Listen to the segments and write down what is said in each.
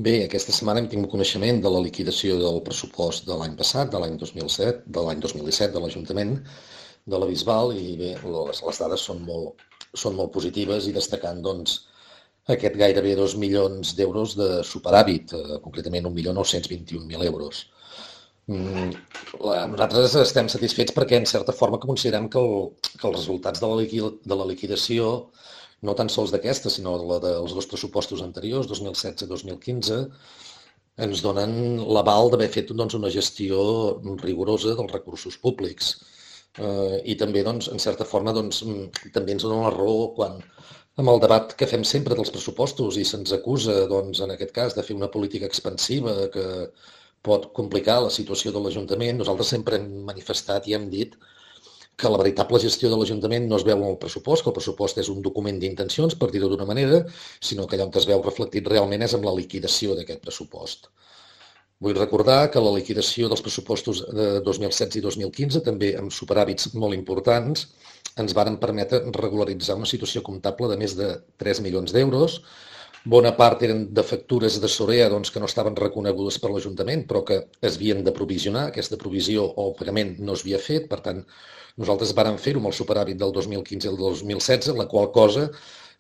Bé, aquesta setmana hem tingut coneixement de la liquidació del pressupost de l'any passat, de l'any 2007, de l'any 2017 de l'Ajuntament de la Bisbal i bé, les dades són molt positives i destacant doncs, aquest gairebé 2 milions d'euros de superàvit, concretament 1.921.000 euros. Mm, Nosaltres estem satisfets perquè, en certa forma, considerem que els resultats de la liquidació, no tan sols d'aquesta, sinó de la dels dos pressupostos anteriors, 2016 i 2015, ens donen l'aval d'haver fet doncs, una gestió rigorosa dels recursos públics. I també, doncs, en certa forma, doncs, també ens donen la raó quan, amb el debat que fem sempre dels pressupostos i se'ns acusa, doncs, en aquest cas, de fer una política expansiva que pot complicar la situació de l'Ajuntament, nosaltres sempre hem manifestat i hem dit que la veritable gestió de l'Ajuntament no es veu en el pressupost, que el pressupost és un document d'intencions, per dir-ho d'una manera, sinó que allà on es veu reflectit realment és amb la liquidació d'aquest pressupost. Vull recordar que la liquidació dels pressupostos de 2016 i 2015, també amb superàvits molt importants, ens varen permetre regularitzar una situació comptable de més de 3 milions d'euros. Bona part eren de factures de Sorea doncs, que no estaven reconegudes per l'Ajuntament, però que es havien de provisionar. Aquesta provisió o pagament no es havia fet, per tant, nosaltres vàrem fer-ho amb el superàvit del 2015 i el 2016, la qual cosa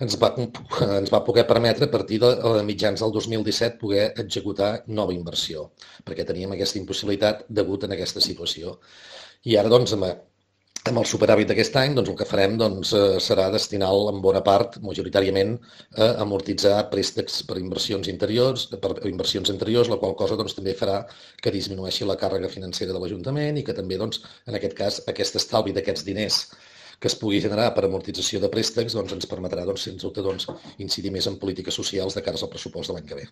ens va poder permetre, a partir de mitjans del 2017, poder executar nova inversió, perquè teníem aquesta impossibilitat degut a aquesta situació. I ara, doncs, amb el superàvit d'aquest any, doncs, el que farem doncs, serà destinar-lo en bona part, majoritàriament, a amortitzar préstecs per inversions anteriors, la qual cosa doncs, també farà que disminueixi la càrrega financera de l'Ajuntament i que també, doncs, en aquest cas, aquest estalvi d'aquests diners que es pugui generar per amortització de préstecs doncs, ens permetrà, doncs, sens dubte, doncs, incidir més en polítiques socials de cara al pressupost de l'any que ve.